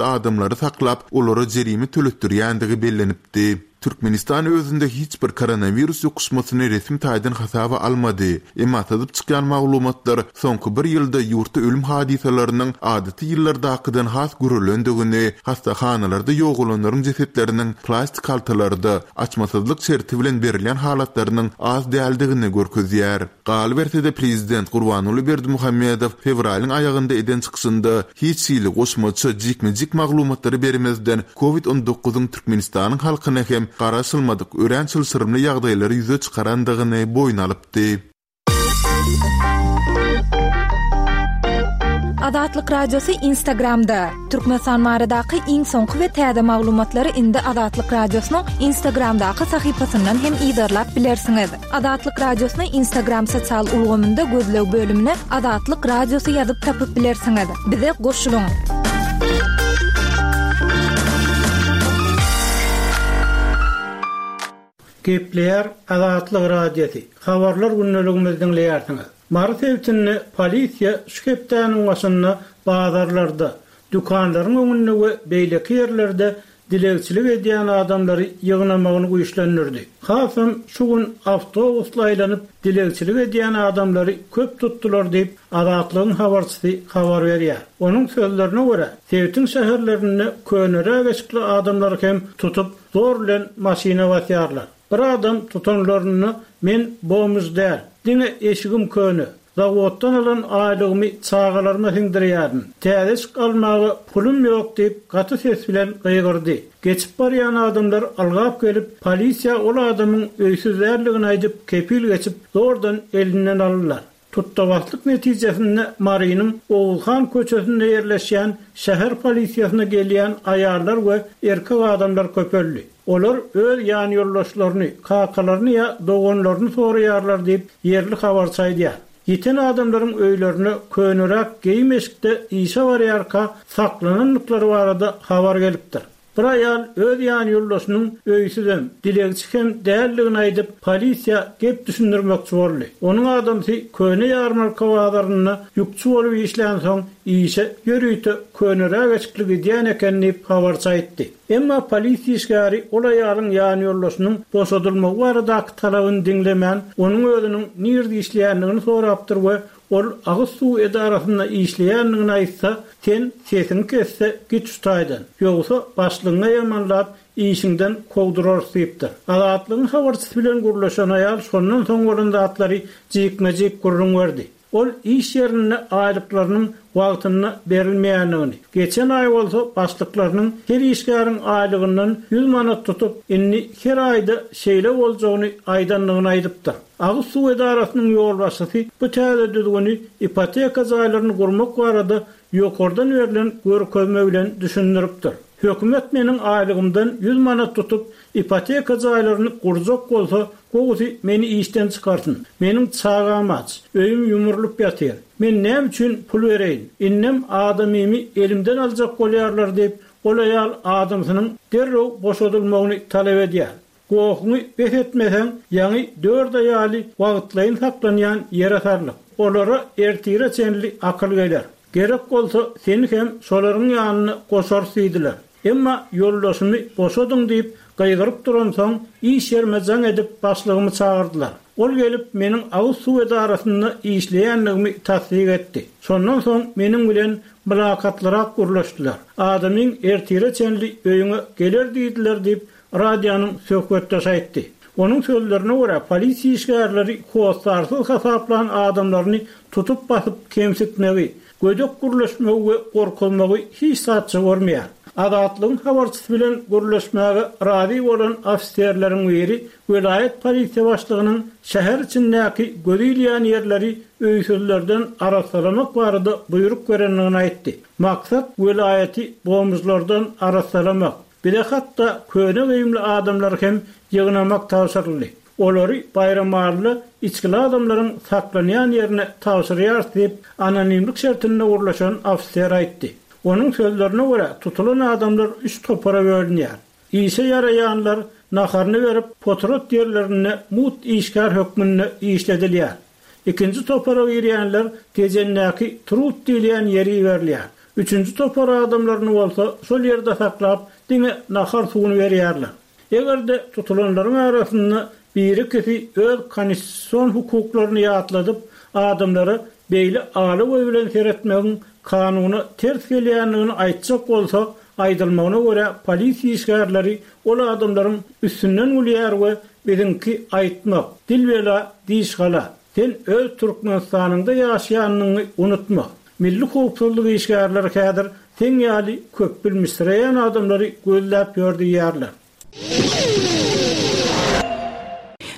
Adamlary saklap, olara jerime töletdirýändigi bellenipdi. Türkmenistan özünde hiç bir koronawirus ýokuşmasyny resmi taýdan hasaba almady. Emma syzyp çykýan maglumatlar soňky bir ýylda ýurtda ölüm hadysalarynyň adaty ýyllardakydan has güreländigini, hassahanalarda ýogalanlaryň jesetleriniň plastik haltalarda, açmasyzlyk şerti bilen berilýän halatlarynyň az däldigini görkezýär. Galyberse-de, prezident Gurbanguly Berdimuhamedow fewralyň aýagynda eden çykyşynda hiç hili goşmaça jikme-jik maglumatlary bermezden, Covid 19 yň Türkmenistanyň halkyna hem garaşylmadyk örän çylşyrymly ýagdaýlary ýüze çykarandygyny boýun alypdy. Azatlyk Radiosy Instagramda, Türkmenistan baradaky iň soňky we täze maglumatlary indi Azatlyk Radiosynyň Instagramdaky sahypasyndan hem yzarlap bilersiňiz. Azatlyk Radiosyny Instagram sosial ulgamynda gözleg bölümine Azatlyk Radiosy ýazyp tapyp bilersiňiz. Bize goşulyň! Gepleýär Azatlyk Radiosy, Habarlar gündeligimizi diňleýärsiňiz. Mary sebitinde polisiýa şu hepdäniň başynda bazarlarda, dükanlaryň öňünde we beýleki ýerlerde dilegçilik edýän adamlary ýygnamagyny güýçlendirdi. Hasam şu gün awtobusly aýlanyp dilegçilik edýän adamlary köp tutdular diýip, Azatlygyň habarçysy habar berýär. Onuň sözlerine görä, sebitiň şäherlerinde köneräk eşikli adamlary hem tutup, zor bilen maşyna basýarlar. Bir adam tutanlarynda men bomž däl, diňe eşigim köne, zawoddan alan aýlygymy çagalaryma siňdirýärin, täze eşik almaga pulum ýok diýip gaty ses bilen gygyrdy. Geçip barýan adamlar ylgap gelip, polisiýa ol adamyň öýsüz däldigini aýdyp kepil geçip, zordan elinden aldylar. Tutda-baslyk netijesinde Marynyň Oguzhan köçesinde ýerleşýän şäher polisiýasyna gelýän aýallar we erkek adamlar köpeldi. Olar öz ýanýoldaşlaryny, kakalaryny ýa doganlaryny soraýarlar diýip, ýerli habarçy aýdýar. Ýiten adamlaryň öýlerine köneräk geýim-eşikde işe barýarka saklanandyklary barada habar gelipdir. Bir aýal öz ýanýoldaşynyň öýsüzem, dilegçi hem däldigini aýdyp, polisiýa gep düşündirmekçi boldy. Onuň adamsy köne ýarmarka bazarynda ýükçi bolup işlänsoň, işe ýörite köneräk eşikli gidýän eken diýip, habarçy aýtdy. Emma polisiýa işgäri ol aýalyň ýanýoldaşynyň boşadylmagy baradaky talabyny diňlemän, onuň özüniň nirde işleýändigini sorapdyr we Ol agyz suw edarasynda işleýändigini aýtsa, sen sesiňi kes-de git şu taýdan, ýogsa başlygyňa ýamanlap, işiňden kowdurarys diýipdir. Azatlygyň habarçysy bilen gürleşen aýal şondan soň bolan zatlary jikme-jik gürrüň berdi. Ol iş ýerinde aýlyklarynyň wagtynda berilmeýändigini, geçen aý bolsa başlyklarynyň her işgäriň aýlygyndan ýüz manat tutup, indi her aýda şeýle boljagyny aýdandygyny aýdypdyr. Agyz suw edarasynyň ýolbaşçysy bu täze düzgüni ipoteka jaýlaryny gurmak barada ýokardan berlen görkezme bilen düşündiripdir. Hökümet meniň aýlygymdan ýüz manat tutup, ipoteka jaýlaryny gurjak bolsa, gowusy meni işden çykarsyn. Meniň çagam aç, öýüm ýumrulyp ýatyr. Men näme üçin pul bereýin? Indem adamymy elimden aljak bolýarlar diýip, ol aýal adamsynyň derrew boşadylmagyny talap edýär. Gohuňy bes etmeseň, ýaňy dört aýaly wagtlaýyn saklanýan ýere sarlyk. Olara ertire çenli akyl geler. Gerek bolsa, seni hem şolaryň ýanyna goşarys diýdiler. Emma ýoldaşymy boşadyň diýip gygyryp duransoň, iş ýerime jaň edip başlygymy çagyrdylar. Ol gelip meniň agyz suw edarasynda işleýändigimi tassyk etdi. Şondan soň meniň bilen mylakatlyrak gürleşdiler. Adamyň ertire çenli öýüňe geler diýdiler diýip, Radionyň söhbetdeşi aýtdy. Onuň sözlerine görä, polisiýa işgärleri hossarsyz hasaplan adamlaryny tutup basyp kemsitmegi, gödek gürleşmegi we gorkuzmagy hiç zatça görmeýär. Azatlygyň habarçysy bilen gürleşmäge razy bolan ofiserleriň biri welaýat polisiýa başlygynyň şäher içindäki gözi ilýän ýerleri öýsüzlerden arassalamak barada buýruk berendigini aýtdy. Maksat welaýaty bomžlardan arassalamak. Bize hatda köne geýimli adamlary hem ýygnamak tabşyryldy. Olary Baýramalyda içgili adamlaryň saklanýan ýerine tabşyrýarys diýip, anonimlik şertinde gürleşen ofiser aýtdy. Onuň sözlerine görä, tutulan adamlar üç topara bölünýär. Işe ýaraýanlar naharyny berip, potrat ýerlerinde mugt işgär hökmünde işledilýär. Ikinji topara girýänler Tejendäki Trud diýilýän ýere iberilýär. Üçünji topar adamlaryny bolsa şol ýerde saklap, diňe nahar suwuny berýärler. Eger-de tutulanlaryň arasynda biri-ikisi öz konstitusion hukuklaryny ýatladyp, adamlara beýle ala göz bilen seretmegiň kanuna ters gelýändigini aýtjak bolsa, aýdylmagyna görä polisiýa işgärleri ol adamlaryň üstünden gülýär we biziňki aýtmak, dil bela, diş gala, sen öz Türkmenistanyňda ýaşaýanyňy unutma. Milli howpsuzlyk işgärleri häzir seň ýaly köpbilmişsireýän adamlary gözläp ýör diýýärler.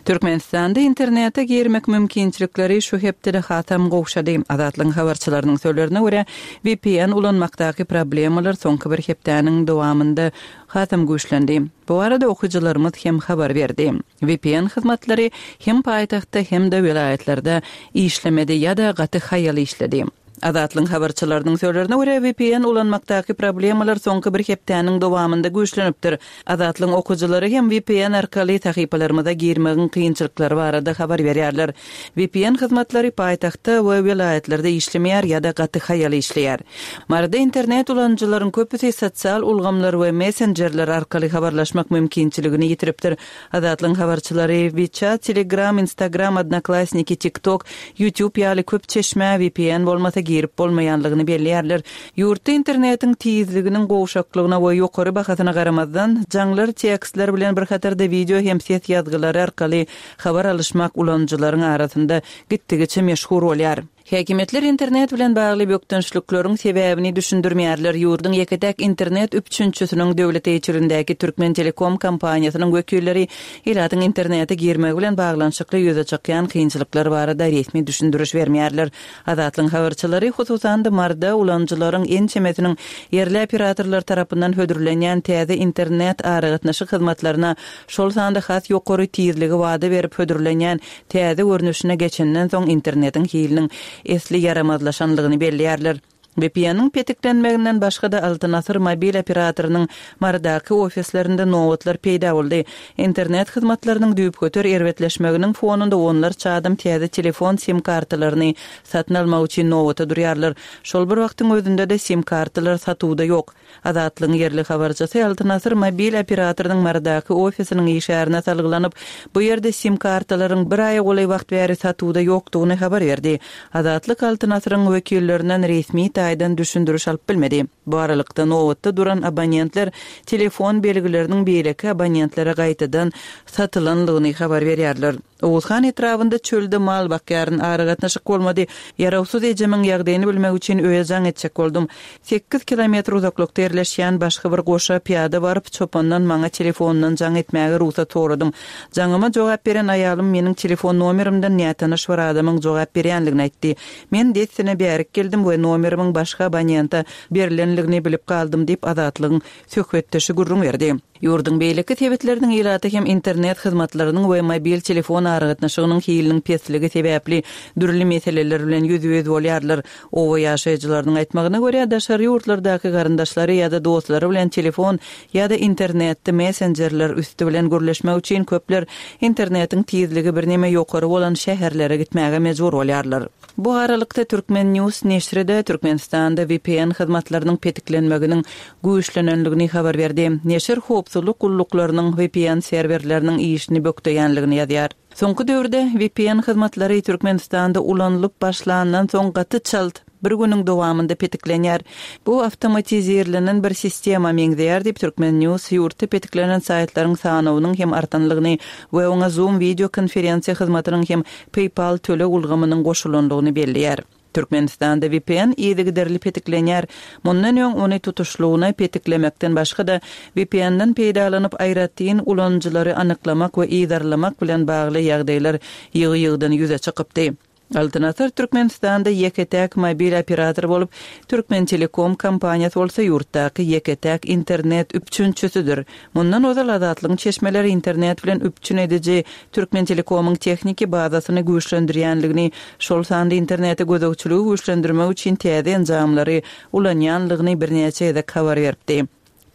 Türkmenistanda internete girmek mümkinçilikleri şu hepdede hasam gowşady. Azatlygyň habarçylarynyň sözlerine görä, vpn ulanmakdaky problemalar soňky bir hepdäniň dowamynda hasam güýçlendi. Bu barada okyjylarymyz hem habar berdi. Vpn hyzmatlary hem paýtagtda, hem-de welaýatlarda işlemedi ýa-da gaty haýal işledi. Azatlygyň habarçylarynyň sözlerine görä, vpn ulanmakdaky problemalar soňky bir hepdäniň dowamynda güýçlenipdir. Azatlygyň okyjylary hem vpn arkaly sahypalarymyza girmegiň kynçylyklary barada habar berýärler. Vpn hyzmatlary paýtagtda we welaýatlarda işlemeýär ýa-da gaty haýal işleýär. Maryda internet ulanyjylaryň köpüsi sosial ulgamlar we messenjerler arkaly habarlaşmak mümkinçiligini ýitiripdir. Azatlygyň habarçylary WeChat, Telegram, Instagram, Odnoklassniki, TikTok, YouTube ýaly köp çeşmä vpn bolmasa girip bolmaýanlygyny belleýärler. Ýurtda internetiň tizliginiň gowşaklygyna we ýokary bahasyna garamazdan, jaňlar tekstler bilen bir hatarda wideo hem ses ýazgylary arkaly habar alyşmak ulanyjylaryň arasynda gitdigiçe meşhur bolýar. Häkimiýetler internet bilen bagly bökdençlikleriň sebäbini düşündirmeýärler. Ýurduň ýeke-täk internet üpjünçisiniň döwlet eýeçiligindäki Türkmentelekom kompaniýasynyň wekilleri ilatyň internete girmegi bilen baglanyşykly ýüze çykýan kynçylyklar barada resmi düşündiriş bermeýärler. Azatlygyň habarçylary, hususan-da, Maryda ulanyjylaryň ençemesiniň ýerli operatorlar tarapyndan hödürlenýän täze internet aragatnaşyk hyzmatlaryna, şol sanda has ýokary tizligi wada berip hödürlenýän täze görnüşine geçenden soň internetiň hiliniň esli ýaramazlaşanlygyny belleýärler. VPN-iň petiklenmeginden başga-da Altyn Asyr mobil operatorynyň Marydaky ofislerinde nobatlar peýda boldy. Internet hyzmatlarynyň düýpgöter erbetleşmeginiň fonunda onlarça adam täze telefon sim-kartalaryny satyn almak üçin nobata durýarlar. Şol bir wagtyň özünde-de sim-kartalar satuwda ýok. Azatlygyň ýerli habarçysy Altyn Asyr mobil operatorynyň Marydaky ofisiniň işgärine salgylanyp, bu ýerde sim-kartalaryň bir aýa golaý wagt bäri satuwda ýokdugyny habar berdi. Azatlyk Altyn Asyryň wekillerinden resmi taýdan düşündiriş alyp bilmedi. Bu aralykda, nobatda duran abonentler telefon belgileriniň beýleki abonentlere gaýtadan satylanlygyny habar berýärler. Oguzhan etrabynda çölde mal bakýaryn, aragatnaşyk bolmady. Ýarawsyz ejemiň ýagdaýyny bilmek üçin öýe jaň etjek boldum. Sekiz kilometr uzaklykda ýerleşýän başga bir goşa pyýada baryp, çopandan maňa telefondan jaň etmäge rugsat soradym. Jaňyma jogap beren aýalym meniň telefon nomerimden nätanyş bir adamyň jogap berýänligini aýtdy. Men dessine bärik geldim we nomerimiň başga abonente berlenligini bilip galdym diýip, Azatlygyň söhbetdeşi gürrüň berdi. Ýurduň beýleki sebitleriniň ilaty hem internet hyzmatlarynyň we mobil telefon aragatnaşygynyň hiliniň pesligi sebäpli dürli meseleler bilen ýüzbe-ýüz bolýarlar. Oba ýaşaýjylarynyň aýtmagyna görä, daşary ýurtlardaky garyndaşlary ýa-da dostlary bilen telefon ýa-da internetde messenjerler üsti bilen gürleşmek üçin köpler internetiň tizligi birneme ýokary bolan şäherlere gitmäge mejbur bolýarlar. Bu aralykda, Turkmen. News neşri-de Türkmenistanda vpn hyzmatlarynyň petiklenmeginiň güýçlenenligini habar berdi. Neşir howpsuzlyk gulluklarynyň vpn serwerleriniň işini bökdeýänligini ýazýar. Soňky döwürde vpn hyzmatlary Türkmenistanda ulanylyp başlandan soň gaty çalt, bir günüň dowamynda petiklenýär. Bu awtomatizirlenen bir sistema meňzeýär diýip, Turkmen. News ýurtda petiklenen saýtlaryň sanawynyň hem artanlygyny we oňa Zoom wideo konferensiýa hyzmatynyň hem PayPal töleg ulgamynyň goşulandygyny belleýär. Türkmenistanda vpn yzygiderli petiklenýär. Mundan öň ony tutuşlygyna petiklemekden başga-da, VPN-den peýdalanyp aýratyn ulanyjylary anyklamak we yzarlamak bilen bagly ýagdaýlar ýygy-ýygydan ýüze çykypdy. Altyn Asyr Türkmenistanda ýeke-täk mobil operator bolup, Türkmentelekom kompaniýasy bolsa ýurtdaky ýeke-täk internet üpjünçisidir. Mundan ozal Azatlygyň çeşmeleri internet bilen üpjün ediji Türkmentelekomyň tehniki bazasyny güýçlendirýänligini, şol sanda internete gözegçiligi güýçlendirmek üçin täze enjamlary ulanýanlygyny birnäçe gezek habar beripdi.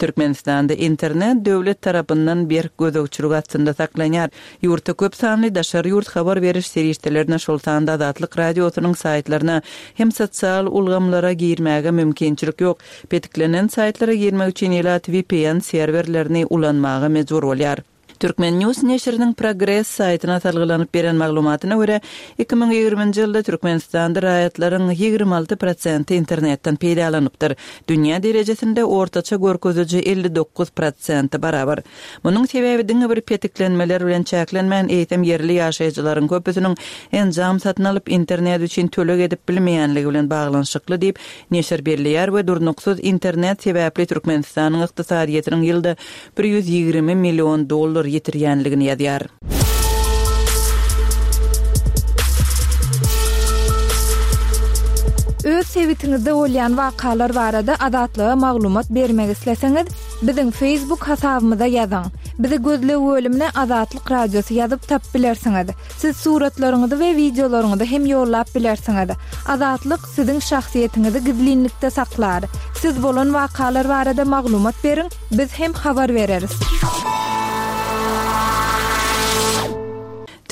Türkmenistanda internet döwlet tarapyndan berk gözegçilik astynda saklanýar. Ýurtda köp sanly daşary ýurt habar beriş serişdelerine, şol sanda Azatlyk Radiosynyň saýtlaryna hem sosial ulgamlara girmäge mümkinçilik ýok. Petiklenen saýtlara girmek üçin ilat vpn serwerlerini ulanmaga mejbur bolýar. Turkmen. News neşiriniň Progress saýtyna salgylanyp beren maglumatyna görä, 2020-nji ýylda Türkmenistanda raýatlaryň 26 prosenti internetden peýdalanypdyr. Dünýä derejesinde ortaça görkeziji 59 prosente barabar. Munuň sebäbi diňe bir petiklenmeler bilen çäklenmän, eýsem ýerli ýaşaýjylaryň köpüsiniň enjam satyn alyp, internet üçin töleg edip bilmeýänligi bilen baglanyşykly diýip, neşir belleýär we durnuksyz internet sebäpli Türkmenistanyň ykdysadyýetiniň ýylda 120 million dollar ýitirýänligini ýazýar. Öz sebitiňizde bolýan wakalar barada Azatlyga maglumat bermek isleseňiz, biziň Facebook hasabymyza ýazyň. Bizi gözleg bölümine Azatlyk Radiosy ýazyp tapyp bilersiňiz. Siz suratlaryňyzy we wideolaryňyzy hem ýollap bilersiňiz. Azatlyk siziň şahsyýetiňizi gizlinlikde saklar. Siz bolan wakalar barada maglumat beriň, biz hem habar bereris.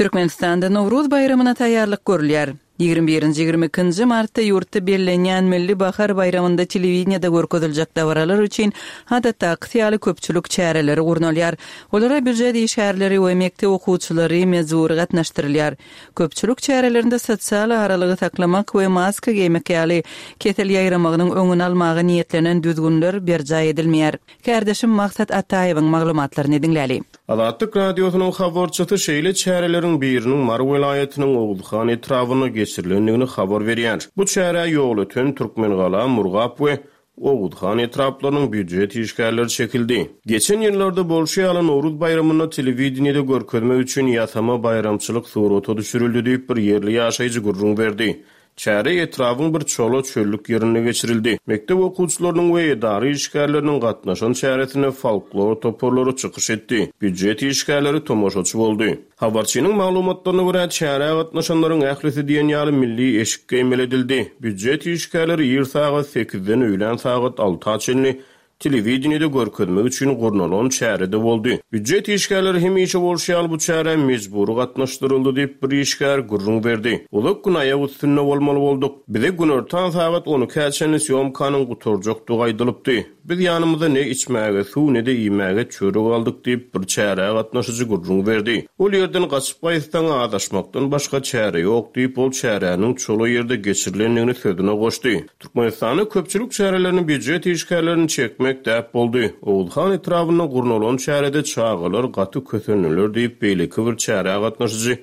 Türkmenistanda Nowruz baýramyna taýýarlyk görülýär. 21-nji, 22-nji martda ýurtda bellenýän Milli bahar baýramynda telewideniýede görkeziljek dabaralar üçin adatdakysy ýaly köpçülik çäreleri gurnalýar. Olara býujet işgärleri we mekdep okuwçylary mejbury gatnaşdyrylýar. Köpçülik çärelerinde sosial aralygy saklamak we maska geýmek ýaly kesel ýaýramagynyň öňüni almaga niýetlenen düzgünler berjaý edilmeýär. Kärdeşim Maksat Ataýewiň maglumatlaryny diňläli. Azatlyk Radiosynyň habarçysy şeýle çäreleriň biriniň Mary welaýatynyň Oguzhan etrabynda geçirilendigini habar berýär. Bu çärä Ýolöten, Türkmengala, Murgap we Oguzhan etraplarynyň býujet işgärleri çekildi. Geçen ýyllarda bolşy ýaly, Nowruz baýramynda telewideniýede görkezmek üçin ýasama baýramçylyk surata düşürildi diýip, bir ýerli ýaşaýjy gürrüň berdi. Çäre etrabyň bir çola çöllük ýerinde geçirildi. Mekdep okuwçylarynyň we edara işgärleriniň gatnaşan çäresinde folklor toparlary çykyş etdi, býujet işgärleri tomaşaçy boldy. Habarçynyň maglumatlaryna görä, çärä gatnaşanlaryň ählisi diýen ýaly milli eşik geýmeli edildi. Býujet işgärleri ir sagat sekizden öýlän sagat alta çenli telewideniýede görkezmek üçin gurnalan çärede boldy. Býujet işgärleri hemişe bolşy ýaly bu çärä mejbury gatnaşdyryldy diýip, bir işgär gürrüň berdi. Uzak gün aýak üstünde bolmaly bolduk. Bize günortan sagat on ikä çenli sýomkanyň gutarjakdygy aýdylypdy. Biz ýanymyza ne içmäge suw, ne-de iýmäge çörek aldyk diýip, bir çärä gatnaşyjy gürrüň berdi. Ol ýerden gaçyp gaýtsaň, azaşmakdan başga çäre ýok diýip, ol çäräniň çola ýerde geçirilendigini sözüne goşdy. Türkmenistanda köpçülik çärelerini býujet işgärlerini çekmek däp boldy. Oguzhan etrabynda gurnalan çärede çagalar gaty kösendiler diýip, beýleki bir çärä gatnaşyjy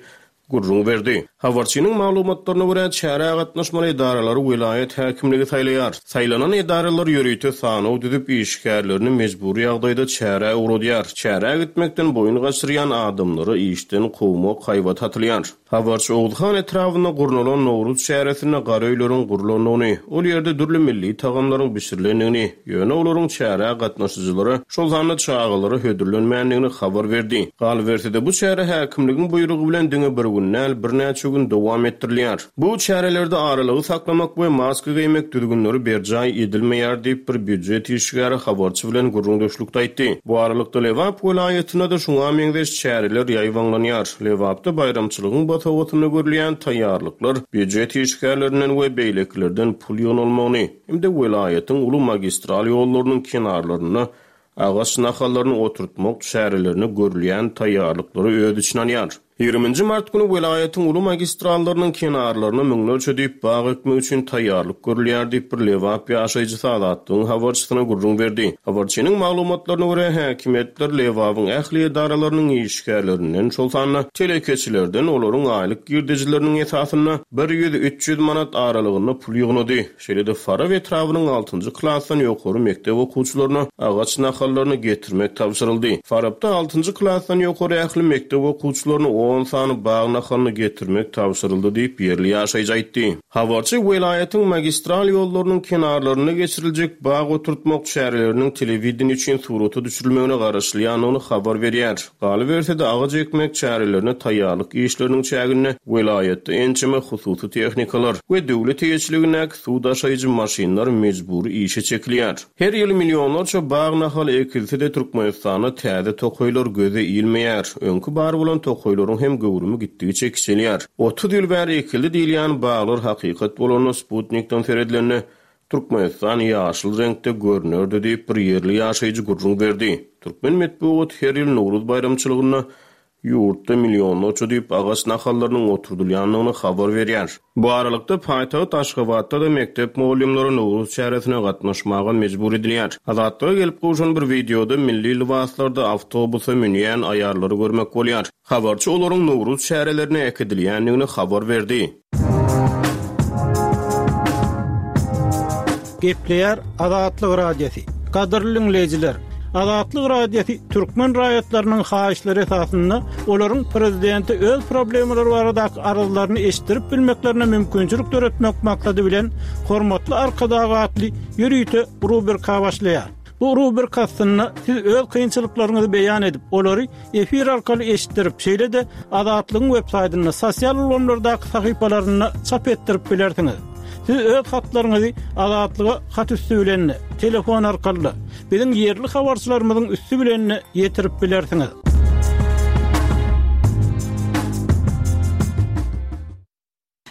gürrüň berdi. Habarçynyň maglumatlaryna görä, çärä gatnaşmaly edaralary welaýat häkimligi saýlaýar. Saýlanan edaralar ýörite sanaw düzüp, işgärlerini mejbury ýagdaýda çärä ugradýar. Çärä gitmekden boýun gaçyrýan adamlary işden kowmak haýbaty atylýar. Habarçy Oguzhan etrabynda gurnalan Nowruz çäresinde gara öýleriň gurlandygyny, ol ýerde dürli milli tagamlaryň bişirilendigini, ýöne olaryň çärä gatnaşyjylara, şol sanda çagalara hödürlenmändigini habar berdi. Galyberse-de, bu çäre häkimligiň buýrugy bilen diňe bir gün däl, birnäçe gün dowam etdirilýär. Bu çärelerde aralygy saklamak we maska geýmek düzgünleri berjaý edilmeýär diýip, bir býujet işgäri habarçy bilen gürrüňdeşlikde aýtdy. Bu aralykda, Lebap welaýatynda-da şuňa meňzeş çäreler ýaýbaňlanýar. Lebapda baýramçylygyň bosagasynda görülýän taýýarlyklar býujet işgärlerinden we beýlekilerden pul ýygnalmagyny hem-de welaýatyň uly magistral ýollarynyň kenarlarynda agaç nahallaryny oturtmak çärelerine görülýän taýýarlyklary öz içine alýar. Ýigriminji mart güni welaýatyň uly magistrallarynyň kenarlaryna müňlerçe düýp bag ekmek üçin taýýarlyk görülýär diýip, bir lebap ýaşaýjysy Azatlygyň habarçysyna gürrüň berdi. Habarçynyň maglumatlaryna görä, häkimiýetler Lebabyň ähli edaralarynyň işgärlerinden, şol sanda telekeçilerden olaryň aýlyk girdejileriniň esasynda 100-300 manat aralygynda pul ýygnady. Şeýle-de Farap etrabynyň altynjy klasdan ýokary mekdep okuwçylaryna agaç nahallaryny getirmek tabşyryldy. Farapda altynjy klasdan ýokary ähli mekdep okuwçylaryny on sany bag nahalyny getirmek tabşyryldy diýip, ýerli ýaşaýjy aýtdy. Habarçy welaýatyň magistral ýollarynyň kenarlarynda geçiriljek bag oturtmak çäreleriniň telewideniýe üçin surata düşürilmegine garaşylýandygyny habar berýär. Galyberse-de, agaç ekmek çärelerine taýýarlyk işleriniň çäginde welaýatda ençeme hususy tehnikalar we döwlet eýeçiligindäki suw daşaýjy maşynlar mejbury işe çekilýär. Her ýyl millionlarça bag nahaly ekilse-de, Türkmenistanda täze tokaýlar göze ilmeýär. Öňki bar bolan tokaýlaryň hem göwrümi gitdigiçe kiçelýär. 30 ýyl bäri ekildi diýilýän baglar hakykat bolanda sputnikden seredilende, Türkmenistan ýaşyl reňkde görnerdi diýip, bir ýerli ýaşaýjy gürrüň berdi. Türkmen metbugaty her ýyl Nowruz baýramçylygynda Ýurtda millionlarça düýp agaç nahallarynyň oturdylýandygyny habar berýär. Bu aralykda, paýtagt Aşgabatda-da mekdep mugallymlary Nowruz çäresine gatnaşmaga mejbur edilýär. Azatlyga gelip gowşan bir wideoda milli lybaslarda awtobusa münýän aýallary görmek bolýar. Habarçy olaryň Nowruz çärelerine äkidilýändigini habar berdi. Gepleýär Azatlyk Radiosy. Gadyrly diňleýjiler, Azatlyk Radiosy türkmen raýatlarynyň haýyşlary esasynda olaryň prezidente öz problemalary baradaky arzlaryny eşitdirip bilmeklerine mümkinçilik döretmek maksady bilen Hormatly Arkadag atly ýörite rubrika başlaýar. Bu rubrika astynda siz öz kynçylyklaryňyzy beýan edip, olary efir arkaly eşitdirip, şeýle-de Azatlygyň websaýtynda, sosial ulgamlardaky sahypalarynda çap etdirip bilersiňiz. Siz öz hatlaryňyzy Azatlyga hat üsti bilen-de, telefon arkaly-da, biziň ýerli habarçylarymyzyň üsti bilen-de ýetirip bilersiňiz.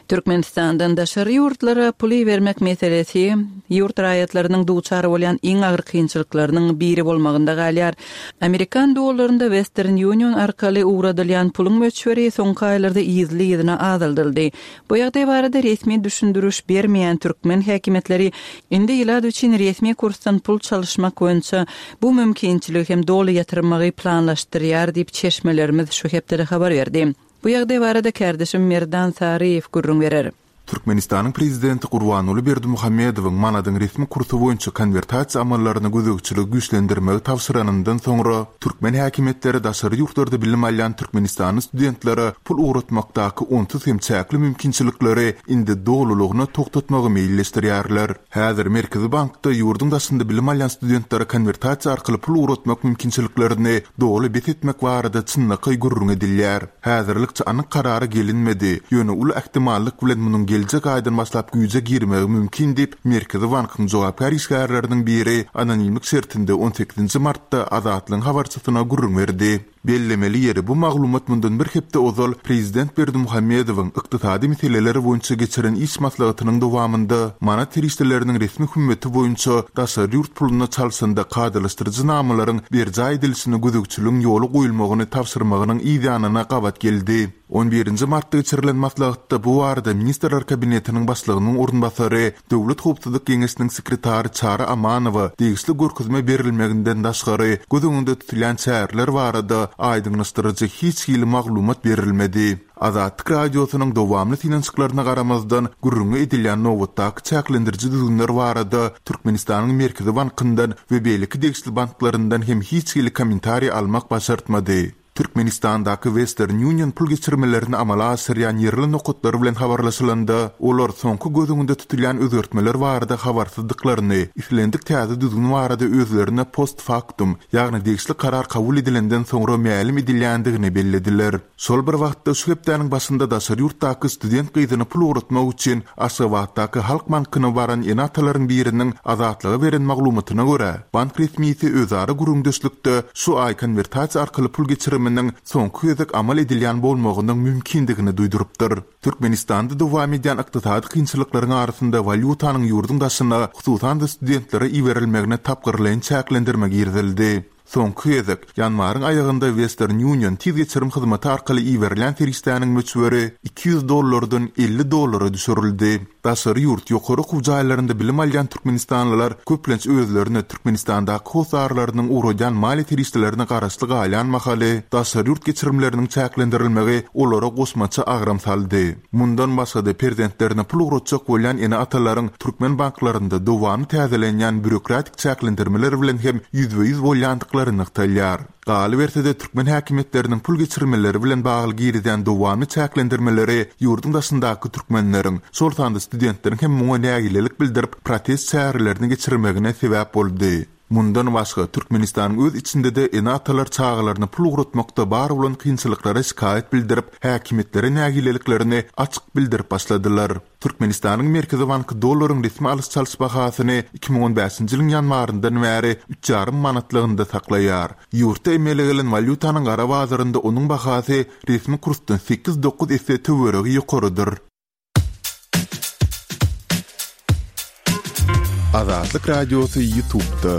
Türkmenistandan daşary ýurtlara pul ibermek meselesi ýurt raýatlarynyň duçar bolýan iň agyr kynçylyklarynyň biri bolmagynda galýar. Amerikan dollarynda Western Union arkaly ugradylýan puluň möçberi soňky aýlarda yzly-yzyna azaldyldy. Bu ýagdaý barada resmi düşündiriş bermeýän türkmen häkimiýetleri indi ilat üçin resmi kursdan pul çalyşmak boýunça bu mümkinçiligi hem doly ýatyrmagy planlaşdyrýar diýip, çeşmelerimiz şu hepdede habar berdi. Bu ýagdaý barada kärdeşim Merdan Saryýew gürrüň berer. Türkmenistanyň Prezidenti Gurbanguly Berdimuhamedowyň manadyň resmi kursy boýunça konwertasiýa amallaryna gözegçiligi güýçlendirmegi tabşyranyndan soňra, türkmen häkimiýetleri daşary ýurtlarda bilim alýan türkmenistanly studentlere pul ugratmakdaky onsuz hem çäkli mümkinçilikleri indi dolulygyna togtatmagy meýilleşdirýärler. Häzir Merkezi bankda ýurduň daşynda bilim alýan studentlere konwertasiýa arkaly pul ugratmak mümkinçiliklerini doly bes etmek barada çynlakaý gürrüň edilýär. Häzirlikçe anyk karara gelinmedi, ýöne uly ähtimallyk bilen munuň geljek aýdan başlap güýje girmegi mümkin diýip, Merkezi bankyň jogapkär işgärleriniň biri anonimlik şertinde on sekizinji martda Azatlygyň habarçysyna gürrüň berdi. Bellemeli ýeri, bu maglumat mundan bir hepde ozal prezident Berdimuhamedowyň ykdysady meseleler boýunça geçiren iş maslahatynyň dowamynda manat serişdeleriniň resmi hümmeti boýunça daşary ýurt puluna çalşanda kadalaşdyryjy namalaryň berjaý edilişine gözegçiligiň ýola goýulmagyny tabşyrmagynyň yzýanyna gabat geldi. On birinji martda geçirilen maslahatda bu barada Ministrler Kabinetiniň Başlygynyň orunbasary, Döwlet howpsuzlyk geňeşiniň sekretary Çary Amanowa degişli görkezme berilmeginden daşgary, göz öňünde tutulýan çäreler barada aýdyňlaşdyryjy hiç hili maglumat berilmedi. Azatlyk Radiosynyň dowamly synanyşyklaryna garamazdan, gürrüňi edilýän nobatdaky çäklendiriji düzgünler barada Türkmenistanyň Merkezi bankyndan we beýleki degişli banklaryndan hem hiç hili kommentariý almak başartmady. Türkmenistandaky Western Union pul geçirmelerini amala aşyrýan ýerli nokatlar bilen habarlaşylanda, olar soňky göz öňünde tutulýan özgertmeler barada habarsyzdyklaryny, islendik täze düzgün barada özlerine post-factum, ýagny degişli karar kabul edilenden soňra mälim edilýändigini bellediler. Şol bir wagtda, şu hepdäniň başynda daşary ýurtdaky student gyzyna pul ugratmak üçin Aşgabatdaky Halk bankyna baran ene-atalaryň biriniň Azatlyga beren maglumatyna görä, bank resmisi özara gürrüňdeşlikde şu aý konwertasiýa arkaly pul geçiriminiň soňky gezek amal edilýän bolmagynyň mümkindigini duýdurypdyr. Türkmenistanda dowam edýän ykdysady kynçylyklaryň arasynda walýutanyň ýurduň daşyna, hususan-da studentlere iberilmegine tapgyrlaýyn çäklendirme girizildi. Soňky gezek, ýanwaryň aýagynda Western Union tiz geçirim hyzmaty arkaly iberilýän serişdäniň möçberi 200 dollardan 50 dollara düşürildi. Daşary ýurt ýokary okuw jaýlarynda bilim alýan türkmenistanlylar köplenç özlerine Türkmenistandaky hossarlarynyň ugradýan maliýe serişdelerine garaşly galýan mahaly, daşary ýurt geçirimleriniň çäklendirilmegi olara goşmaça agram saldy. Mundan başga-da, perzentlerine pul ugratjak bolýan ene-atalaryň türkmen banklarynda dowamly täzelenýän býurokratik çäklendirmeler bilen hem ýüzbe-ýüz bolýandyklaryny. çykandyklary nygtalýar. Galyberse-de, türkmen häkimiýetleriniň pul geçirmeleri bilen bagly girizýän dowamly çäklendirmeleri ýurduň daşyndaky türkmenleriň, şol sanda studentleriň hem muňa nägilelik bildirip, protest çärelerini geçirmegine sebäp boldy. Mundan başga, Türkmenistanyň öz içinde-de ene-atalar çagalaryna pul ugratmakda bar bolan kynçylyklara şikaýat bildirip, häkimiýetlere nägileliklerini açyk bildirip başladylar. Türkmenistanyň Merkezi banky dollaryň resmi alyş-çalyş bahasyny 2015-nji ýylyň ýanwaryndan bäri üç ýarym manatlygynda saklaýar. Ýurtda emele gelen walýutanyň gara bazarynda onuň bahasy resmi kursdan sekiz-dokuz esse töweregi ýokarydyr. Azatlyk Radiosy YouTube'da.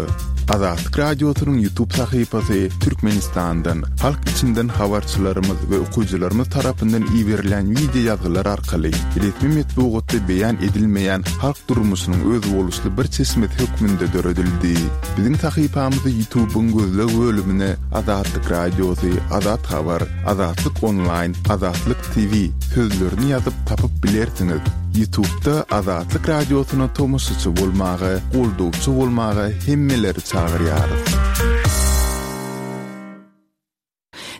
Azatlyk Radiosynyň YouTube sahypasy Türkmenistandan, halk içinden habarçylarymyz we okyjylarymyz tarapyndan iberilen wideo ýazgylar arkaly resmi metbugatda beýan edilmeýän halk durmuşynyň özboluşly bir çeşmesi hökmünde döredildi. Biziň sahypamyzy YouTube-yň gözleg bölümine Azatlyk Radiosy, Azat Habar, Azatlyk Onlaýn, Azatlyk TV sözlerini ýazyp tapyp bilersiňiz. Ýutubda Azatlyk Radiosyna tomaşaçy bolmaga, goldawçy bolmaga hemmeleri çagyrýarys.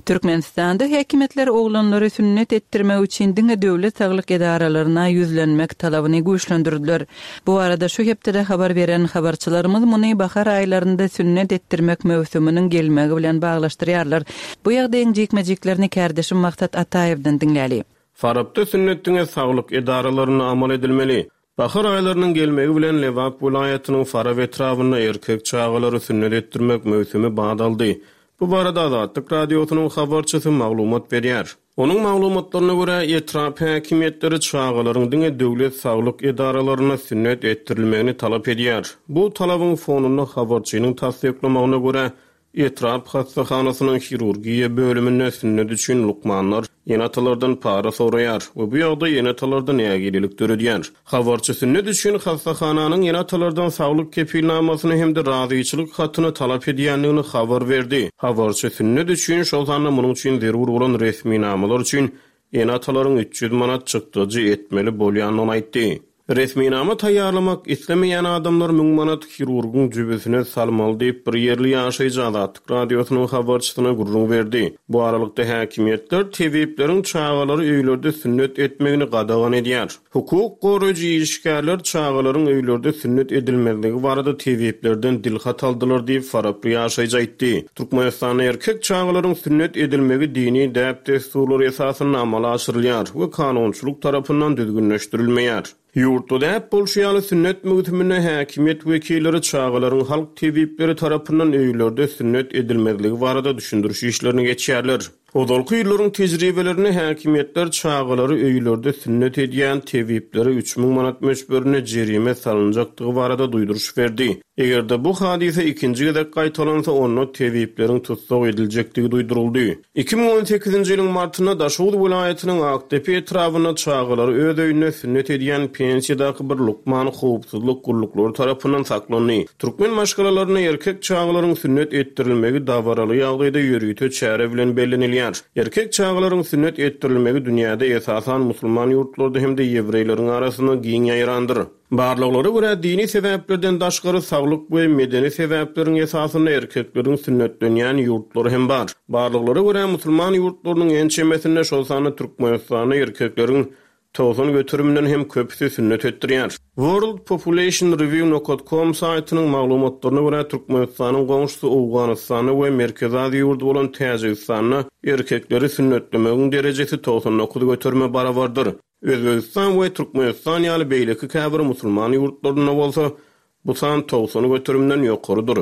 Türkmenistanda häkimiýetler oglanlary sünnet etdirmek üçin diňe döwlet saglyk edaralaryna ýüzlenmek talabyny güýçlendirdiler. Bu barada şu hepdede habar beren habarçylarymyz muny bahar aýlarynda sünnet etdirmek möwsüminiň gelmegi bilen baglaşdyrýarlar. Bu ýagdaýyň jikme-jiklerini kärdeşim Maksat Ataýewden diňläli. Farapda sünnet diňe saglyk edaralarynda amal edilmeli. Bahar aýlarynyň gelmegi bilen Lebap welaýatynyň Farap etrabynda erkek çagalary sünnet etdirmek möwsümi bat aldy. Bu barada Azatlyk Radiosynyň habarçysy maglumat berýär. Onuň maglumatlaryna görä, etrap häkimiýetleri çagalaryň diňe döwlet saglyk edaralarynda sünnet etdirilmegini talap edýär. Bu talabyň fonunda habarçynyň tassyklamagyna görä, etrap hassahanasynyň hirurgiýa bölüminde sünnet üçin lukmanlar ene-atalardan para soraýar we bu ýagdaý ene-atalarda nägilelik döredýär. Habarçy sünnet üçin hassahananyň ene-atalardan saglyk kepilnamasyny hem-de razyçylyk hatyny talap edýändigini habar berdi. Habarçy sünnet üçin, şol sanda munuň üçin zerur bolan resminamalar üçin ene-atalaryň 300 manat çykdajy etmeli bolýandygyny aýtdy. Resminama taýýarlamak islemeýän adamlar müň manat hirurgyň jübüsine salmaly diýip, bir ýerli ýaşaýjy Azatlyk Radiosynyň habarçysyna gürrüň berdi. Bu aralykda, häkimiýetler tebipleriň çagalary öýlerde sünnet etmegini gadagan edýär. Hukuk goraýjy işgärler çagalaryň öýlerde sünnet edilmezligi barada tebiplerden dilhat aldylar diýip, faraply ýaşaýjy aýtdy. Türkmenistanda erkek çagalaryň sünnet edilmegi dini däp-dessurlar esasynda amala aşyrylýar we kanunçylyk tarapyndan düzgünleşdirilmeýär. Ýurtda däp bolşy ýaly, sünnet möwsüminde häkimiýet wekilleri çagalaryň halk tebipleri tarapyndan öýlerde sünnet edilmezligi barada düşündiriş işlerini geçýärler. Ozalky ýyllaryň tejribelerinde häkimiýetler çagalary öýlerde sünnet edýän tebiplere 3000 manat möçberinde jerime salynjakdygy barada duýduryş berdi. Eger-de bu hadysa ikinji gezek gaýtalansa, onda tebipleriň tussag ediljekdigi duýduryldy. 2018-nji ýylyň martynda Daşoguz welaýatynyň Akdepe etrabynda çagalary öz öýünde sünnet edýän pensiýadaky bir lukman howpsuzlyk gulluklary tarapyndan saklandy. Türkmen maşgalalarynda erkek çagalaryň sünnet etdirilmegi dabaraly ýagdaýda ýörite çäre bilen bellenilýär. Erkek çagalaryň sünnet etdirilmegi dünýäde esasan musulman ýurtlarda hem-de ýewreýleriň arasynda giň ýaýrandyr. Barlaglara görä, dini sebäplerden daşgary saglyk we medeni sebäpleriň esasynda erkekleriň sünnetlenýän ýurtlary hem bar. Barlaglara görä, musulman ýurtlarynyň ençemesinde, şol sanda Türkmenistanda erkekleriň 90 göterimden hem köpüsi sünnet etdirýär. World Population Review nokat com saýtynyň maglumatlaryna görä, Türkmenistanyň goňşusy Owganystanda we Merkezi Aziýa ýurdy bolan Täjigistanda erkekleri sünnetlemegiň derejesi 99 göterime barabardyr. Özbegistan we Türkmenistan ýaly beýleki käbir musulman ýurtlarynda bolsa bu san 90 göterimden ýokarydyr.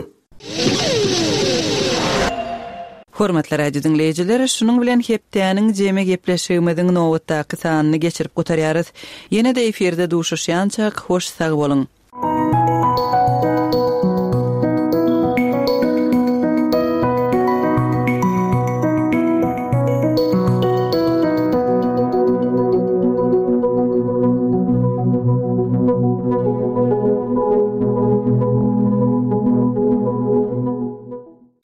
Hormatly radio diňleýjiler, şunuň bilen hepdäniň jemi gepleşigimiziň nobatdaky sanyny geçirip gutarýarys. Ýene-de efirde duşuşýançak, hoş sag boluň!